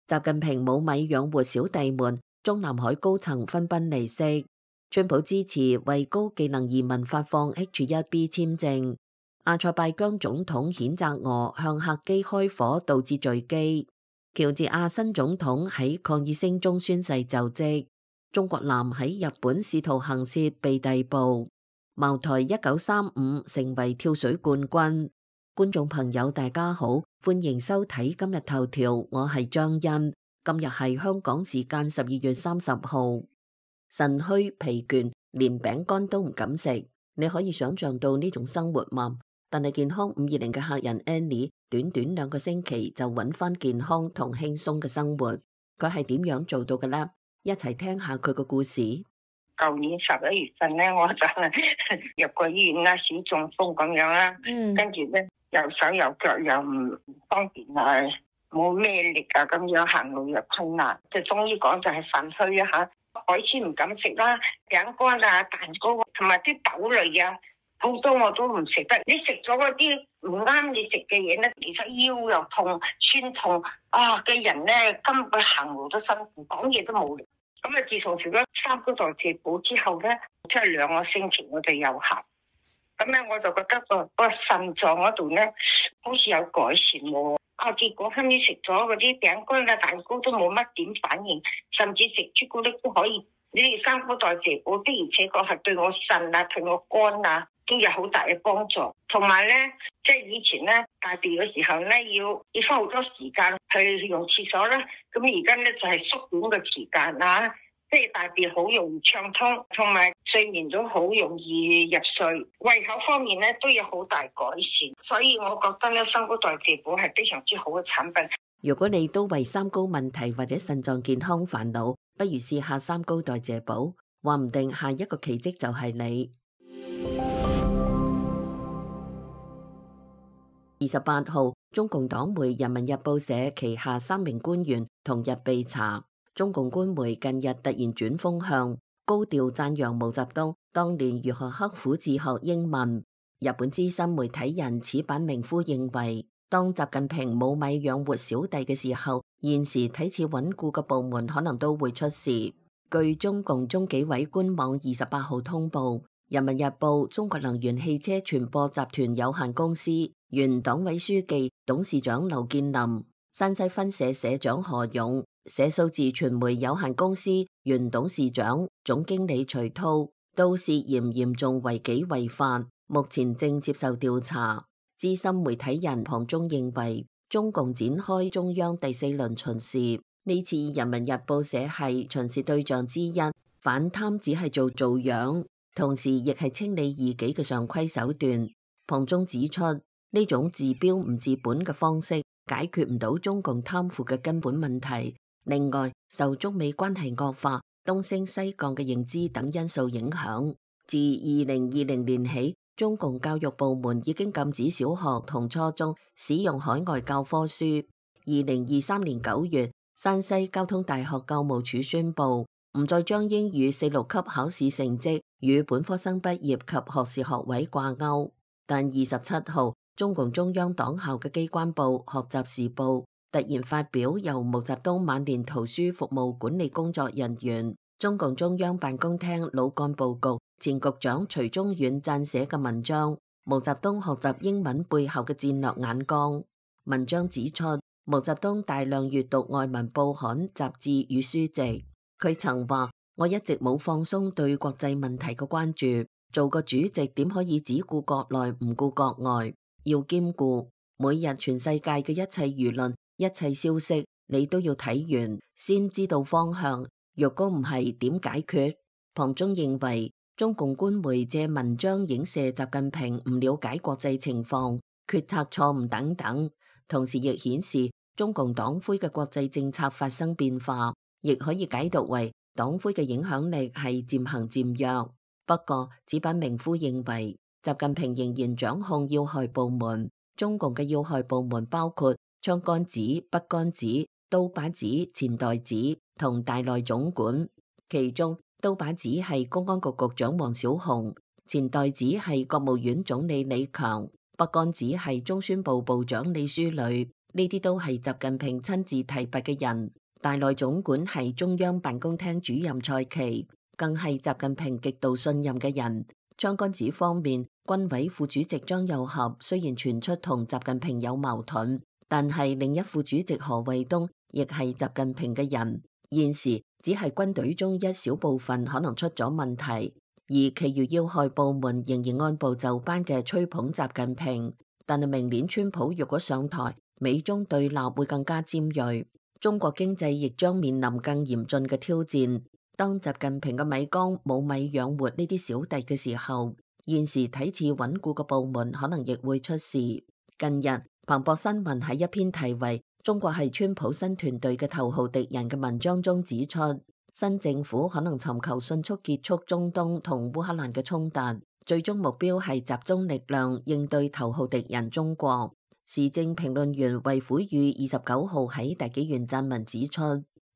習近平冇米養活小弟們，中南海高層紛紛離席。川普支持為高技能移民發放 H1B 簽證。阿塞拜疆總統譴責俄向客機開火導致墜機。喬治亞新總統喺抗議聲中宣誓就職。中國男喺日本試圖行竊被逮捕。茅台1935成為跳水冠軍。觀眾朋友大家好，歡迎收睇今日頭條，我係張欣。今日係香港時間12月30號。腎虛疲倦，連餅乾都唔敢食，你可以想象到呢種生活嗎？但係健康520嘅客人 Annie， 短短2個星期就揾翻健康同輕鬆嘅生活，佢係點樣做到嘅呢？一齊聽下佢個故事。舊年11月份咧，我就入過醫院啦，小中風咁樣啦，跟住咧右手右腳又唔方便啊，冇咩力啊，咁樣行路又困難，即係中醫講就係腎虛啊吓。海鮮唔敢食啦，餅乾啊、蛋糕同埋啲豆類啊，好多我都唔食得。你食咗嗰啲唔啱你食嘅嘢咧，其實腰又痛、酸痛啊嘅人咧，根本行路都辛苦，講嘢都冇力。咁啊，自從食咗三高代謝補之後咧，即係2個星期我哋有效。咁咧我就覺得個腎臟嗰度咧，好似有改善喎。結果後尾食咗嗰啲餅乾啊、蛋糕都冇乜點反應，甚至食朱古力都可以。呢啲三高代謝補的而且確係對我腎啊、對我肝啊都有好大嘅幫助。同埋咧，即係以前咧大便嘅時候咧，要花好多時間去用廁所啦。咁而家咧就係縮短個時間啦。即係大便好容易暢通，同埋睡眠都好容易入睡，胃口方面咧都有好大改善，所以我覺得咧三高代謝補係非常之好嘅產品。如果你都為三高問題或者腎臟健康煩惱，不如試下三高代謝補，話唔定下一個奇蹟就係你。28號，中共黨媒《人民日報》社旗下3名官員同日被查。中共官媒近日突然轉風向，高調讚揚毛澤東當年如何刻苦自學英文。日本資深媒體人矢板明夫認為，當習近平冇米養活小弟嘅時候，現時睇似穩固嘅部門可能都會出事。據中共中紀委官網28號通報，人民日報中國能源汽車傳播集團有限公司原黨委書記、董事長劉建林、山西分社社長何勇、社數字傳媒有限公司原董事長、總經理徐濤都涉嫌嚴重違紀違法，目前正接受調查。資深媒體人龐中認為，中共展開中央第4輪巡視，呢次人民日報社係巡視對象之一，反貪只係做樣，同時亦係清理異己嘅常規手段。龐中指出，呢種治標唔治本嘅方式解決唔到中共貪腐嘅根本問題。另外，受中美關係惡化、東升西降嘅認知等因素影響，自2020年起，中共教育部門已經禁止小學同初中使用海外教科書。2023年9月，山西交通大學教務處宣布，唔再將英語4、6級考試成績與本科生畢業及學士學位掛鈎。但27號，中共中央黨校嘅機關報《學習時報》突然發表由毛澤東晚年圖書服務管理工作人員、中共中央辦公廳老幹部局前局長徐中遠撰寫嘅文章《毛澤東學習英文背後嘅戰略眼光》。文章指出，毛澤東大量閱讀外文報刊、雜誌與書籍。佢曾話：我一直冇放鬆對國際問題嘅關注，做個主席點可以只顧國內唔顧國外？要兼顧每日全世界嘅一切輿論。一切消息你都要睇完，先知道方向。若果唔係，點解決？龐中認為，中共官媒借文章影射習近平唔了解國際情況、決策錯誤等等，同時亦顯示中共黨魁嘅國際政策發生變化，亦可以解讀為黨魁嘅影響力係漸行漸弱。不過，矢板明夫認為，習近平仍然掌控要害部門。中共嘅要害部門包括槍桿子、筆桿子、刀把子、錢袋子同大內總管，其中刀把子係公安局局長王小洪，錢袋子係國務院總理李強，筆桿子係中宣部部長李書磊。呢啲都係習近平親自提拔嘅人。大內總管係中央辦公廳主任蔡奇，更係習近平極度信任嘅人。槍桿子方面，軍委副主席張又俠雖然傳出同習近平有矛盾，但係另一副主席何衛東亦係習近平嘅人。現時只係軍隊中一小部分可能出咗問題，而其餘要害部門仍然按部就班嘅吹捧習近平。但係明年川普若果上台，美中對立會更加尖銳，中國經濟亦將面臨更嚴峻嘅挑戰。當習近平嘅米缸冇米養活呢啲小弟嘅時候，現時睇似穩固嘅部門可能亦會出事。近日彭博新聞喺一篇題為中國係川普新團隊嘅頭號敵人嘅文章中指出，新政府可能尋求迅速結束中東同烏克蘭嘅衝突，最終目標係集中力量應對頭號敵人中國。時政評論員衛虎宇29號喺大紀元撰文指出，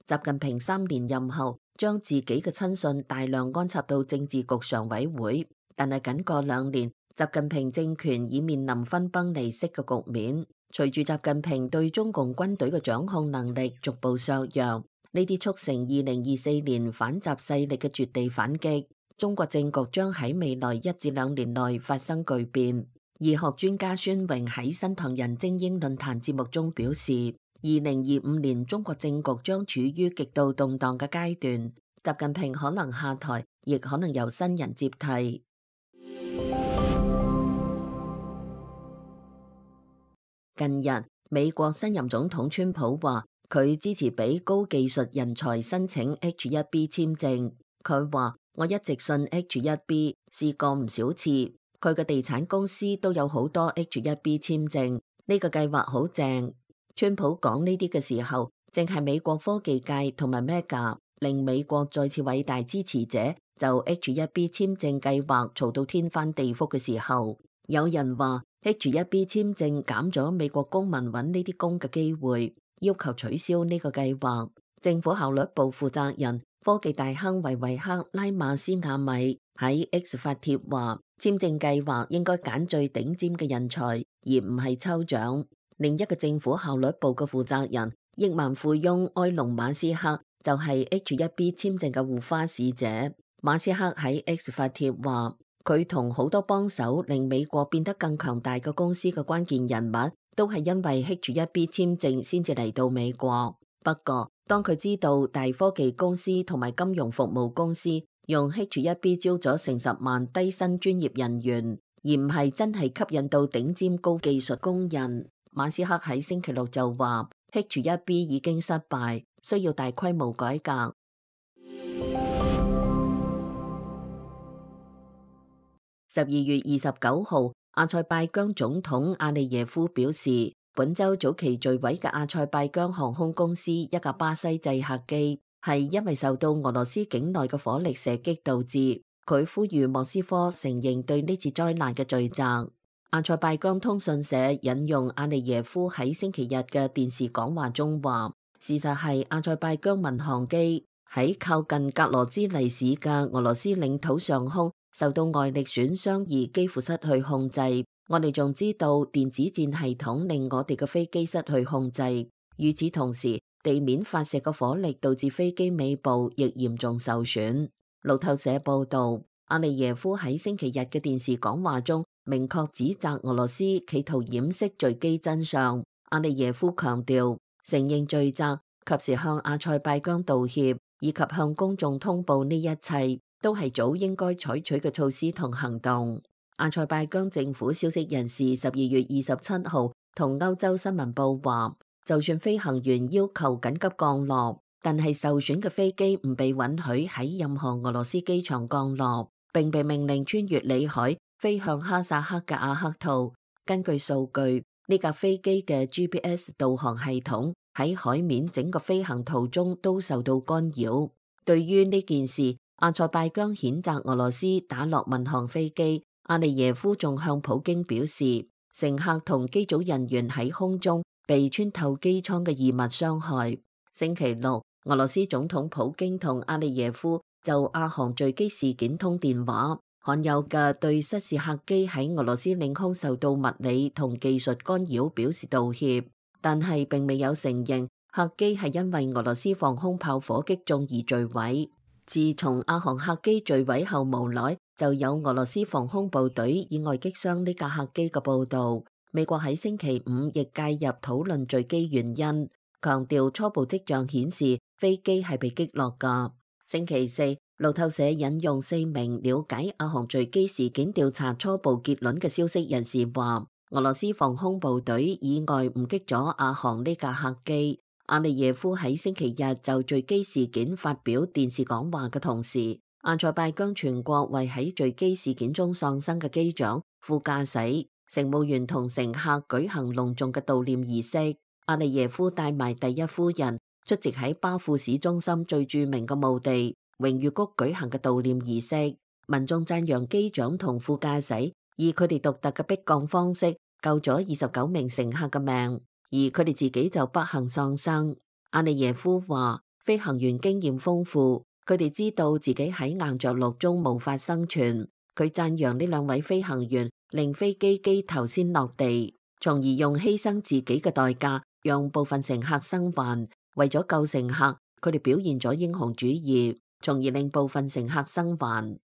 習近平3年任後將自己嘅親信大量安插到政治局常委會，但係僅過2年，習近平政權已面臨分崩離析嘅局面。隨住習近平對中共軍隊嘅掌控能力逐步削弱，呢啲促成2024年反習勢力嘅絕地反擊，中國政局將喺未來1至2年內發生巨變。醫學專家孫榮喺新唐人精英論壇節目中表示，2025年中國政局將處於極度動盪嘅階段，習近平可能下台，亦可能由新人接替。近日，美國新任總統川普話佢支持俾高技術人才申請 H1B 簽證。佢話我一直信 H1B， 試過唔少次。佢嘅地產公司都有好多 H1B 簽證，呢個計劃好正。川普講呢啲嘅時候，正係美國科技界同埋 Mega 令美國再次偉大支持者就 H1B 簽證計劃嘈到天翻地覆嘅時候。有人話H1B 簽證減咗美國公民揾呢啲工嘅機會，要求取消呢個計劃。政府效率部負責人科技大亨維維克拉馬斯亞米喺 X 發帖話，簽證計劃應該揀最頂尖嘅人才，而唔係抽獎。另一個政府效率部嘅負責人億萬富翁埃隆馬斯克就係 H1B 簽證嘅護花使者。馬斯克喺 X 發帖話，佢同好多幫手令美國變得更強大嘅公司嘅關鍵人物，都係因為 H1B 簽證先至嚟到美國。不過，當佢知道大科技公司同埋金融服務公司用 H1B 招咗成10萬低薪專業人員，而唔係真係吸引到頂尖高技術工人，馬斯克喺星期六就話 H1B 已經失敗，需要大規模改革。12月29號，阿塞拜疆總統阿利耶夫表示，本週早期墜毀嘅阿塞拜疆航空公司一架巴西製客機係因為受到俄羅斯境內嘅火力射擊導致。佢呼籲莫斯科承認對呢次災難嘅罪責。阿塞拜疆通訊社引用阿利耶夫喺星期日嘅電視講話中話，事實係阿塞拜疆民航機喺靠近格羅茲尼市嘅俄羅斯領土上空受到外力損傷而幾乎失去控制。我哋仲知道電子戰系統令我哋嘅飛機失去控制。與此同時，地面發射嘅火力導致飛機尾部亦嚴重受損。路透社報道，阿利耶夫喺星期日嘅電視講話中明確指責俄羅斯企圖掩飾墜機真相。阿利耶夫強調，承認罪責，及時向阿塞拜疆道歉，以及向公眾通報呢一切，都係早應該採取嘅措施同行動。阿塞拜疆政府消息人士12月27號同歐洲新聞報話，就算飛行員要求緊急降落，但係受損嘅飛機唔被允許喺任何俄羅斯機場降落，並被命令穿越里海飛向哈薩克嘅阿克圖。根據數據，呢架飛機嘅 GPS 導航系統喺海面整個飛行途中都受到干擾。對於呢件事，阿塞拜疆譴責俄羅斯打落民航飛機。阿利耶夫仲向普京表示，乘客同機組人員喺空中被穿透機艙嘅異物傷害。星期六，俄羅斯總統普京同阿利耶夫就阿航墜機事件通電話，罕有嘅對失事客機喺俄羅斯領空受到物理同技術干擾表示道歉。但係並未有承認客機係因為俄羅斯防空炮火擊中而墜毀。自從阿航客機墜毀後無耐，就有俄羅斯防空部隊意外擊傷呢架客機嘅報導。美國喺星期五亦介入討論墜機原因，強調初步跡象顯示飛機係被擊落㗎。星期四，路透社引用4名了解阿航墜機事件調查初步結論嘅消息人士話，俄羅斯防空部隊意外誤擊咗阿航呢架客機。阿利耶夫喺星期日就墜機事件發表電視講話嘅同時，阿塞拜疆全國為喺墜機事件中喪生嘅機長、副駕駛、乘務員同乘客舉行隆重嘅悼念儀式。阿利耶夫帶埋第一夫人出席喺巴庫市中心最著名嘅墓地榮譽谷舉行嘅悼念儀式。民眾讚揚機長同副駕駛以佢哋獨特嘅迫降方式救咗29名乘客嘅命，而佢哋自己就不幸喪生。阿利耶夫話，飛行員經驗豐富，佢哋知道自己喺硬着陸中無法生存。佢讚揚呢2位飛行員令飛機機頭先落地，從而用犧牲自己嘅代價讓部分乘客生還。為咗救乘客，佢哋表現咗英雄主義，從而令部分乘客生還。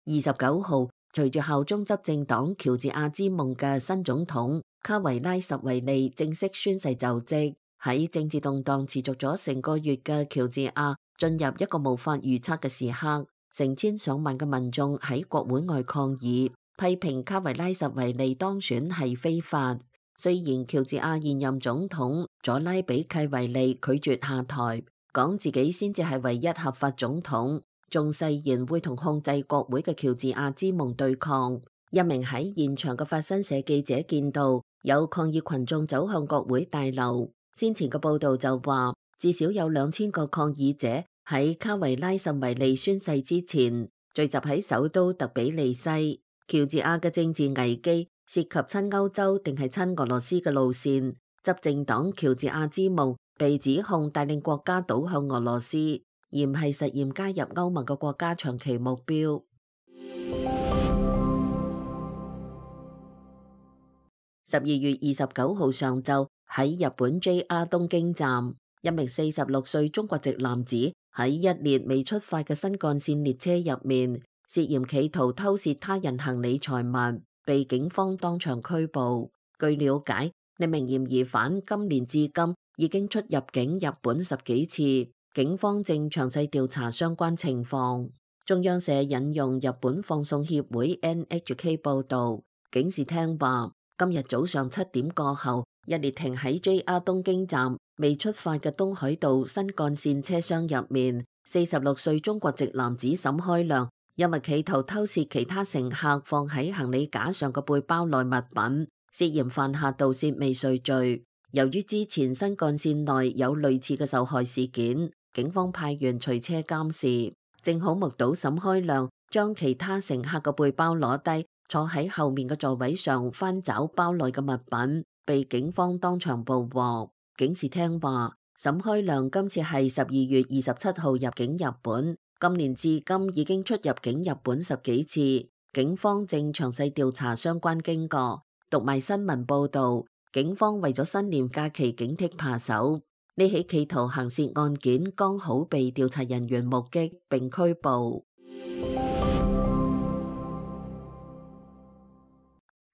29號，隨住效忠執政黨喬治亞之夢嘅新總統卡維拉什維利正式宣誓就職。喺政治動盪持續咗成個月嘅喬治亞進入一個無法預測嘅時刻，成千上萬嘅民眾喺國會外抗議，批評卡維拉什維利當選係非法。雖然喬治亞現任總統佐拉比契維利拒絕下台，講自己先至係唯一合法總統，仲誓言會同控制國會嘅喬治亞之夢對抗。一名喺現場嘅法新社記者見到有抗議群眾走向國會大樓，先前嘅報道就話至少有2000個抗議者喺卡維拉什維利宣誓之前聚集喺首都特比利西。喬治亞嘅政治危機涉及親歐洲定係親俄羅斯嘅路線。執政黨喬治亞之夢被指控帶領國家倒向俄羅斯，而唔係實現加入歐盟嘅國家長期目標。12月29號上晝喺日本 JR 東京站，一名46歲中國籍男子喺一列未出發嘅新幹線列車入面，涉嫌企圖偷竊他人行李財物，被警方當場拘捕。據了解，呢名嫌疑犯今年至今已經出入境日本10幾次，警方正詳細調查相關情況。中央社引用日本放送協會 NHK 報道，警視廳話，今日早上7點過後，一列停喺 JR 東京站未出發嘅東海道新幹線車廂入面，46歲中國籍男子沈開亮因為企圖偷竊其他乘客放喺行李架上嘅背包內物品，涉嫌犯下盜竊未遂罪。由於之前新幹線內有類似嘅受害事件，警方派員隨車監視，正好目睹沈開亮將其他乘客嘅背包攞低，坐喺後面嘅座位上翻找包內嘅物品，被警方當場捕獲。警視廳話，沈開亮今次係12月27號入境日本，今年至今已經出入境日本10幾次，警方正詳細調查相關經過。讀賣新聞報道，警方為咗新年假期警惕扒手，呢起企圖行竊案件剛好被調查人員目擊並拘捕。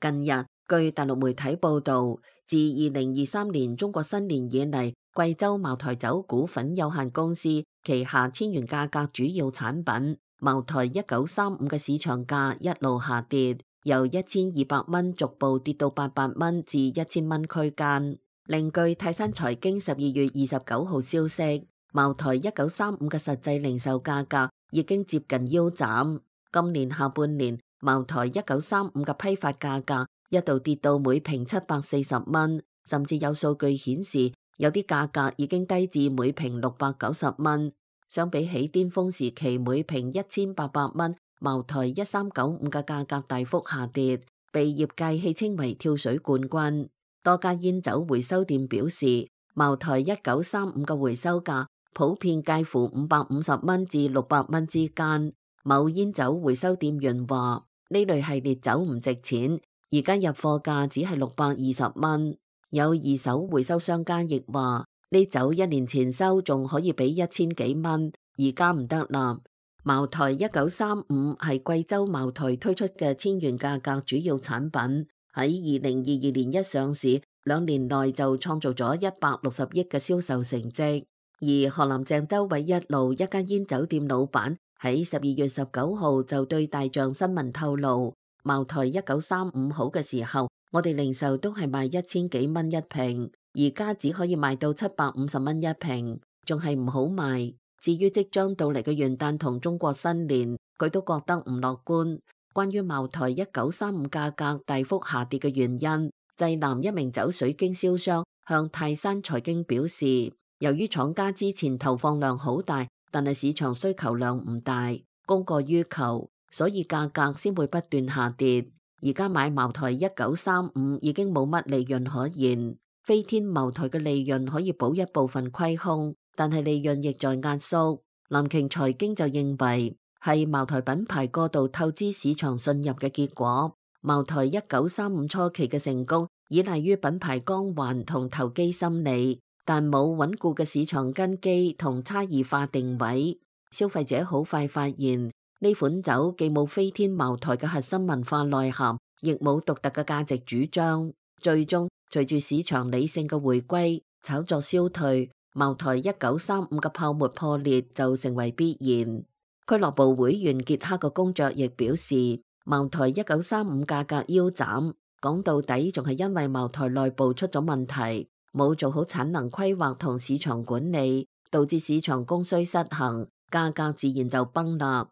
近日，據大陸媒體報道，自2023年中國新年以嚟，貴州茅台酒股份有限公司旗下千元價格主要產品茅台1935嘅市場價一路下跌，由1200蚊逐步跌到800蚊至1000蚊區間。另據泰山財經12月29號消息，茅台1935嘅實際零售價格已經接近腰斬。今年下半年，茅台1935嘅批發價格一度跌到每瓶740蚊，甚至有數據顯示有啲價格已經低至每瓶690蚊。相比起巔峰時期每瓶1800蚊，茅台1395嘅價格大幅下跌，被業界戲稱為跳水冠軍。多家煙酒回收店表示，茅台1935嘅回收價普遍介乎550蚊至600蚊之間。某煙酒回收店員話，呢類系列酒唔值錢，而家入貨價只係620蚊。有二手回收商家亦話，呢酒1年前收仲可以俾1000幾蚊，而家唔得啦。茅台1935係貴州茅台推出嘅千元價格主要產品，喺2022年一上市，2年內就創造咗160億嘅銷售成績。而河南鄭州緯一路一間煙酒店老闆喺12月19號就對大象新聞透露，茅台1935好嘅時候，我哋零售都係賣1000幾蚊一瓶，而家只可以賣到750蚊一瓶，仲係唔好賣。至於即將到嚟嘅元旦同中國新年，佢都覺得唔樂觀。關於茅台1935價格大幅下跌嘅原因，濟南一名酒水經銷商向泰山財經表示，由於廠家之前投放量好大，但係市場需求量唔大，供過於求，所以價格先會不斷下跌。而家買茅台1935已經冇乜利潤可言，飛天茅台嘅利潤可以補一部分虧空，但係利潤亦在壓縮。南瓊財經就認為係茅台品牌過度透支市場信任嘅結果。茅台1935初期嘅成功依賴於品牌光環同投機心理，但冇穩固嘅市場根基同差異化定位。消費者好快發現呢款酒既冇飛天茅台嘅核心文化內涵，亦冇獨特嘅價值主張。最終隨住市場理性嘅回歸，炒作消退，茅台1935嘅泡沫破裂就成為必然。俱樂部會員傑克嘅公爵亦表示，茅台1935價格腰斬，講到底仲係因為茅台內部出咗問題，冇做好產能規劃同市場管理，導致市場供需失衡，價格自然就崩啦。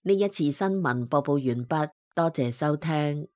呢一次新聞播報完畢，多謝收聽。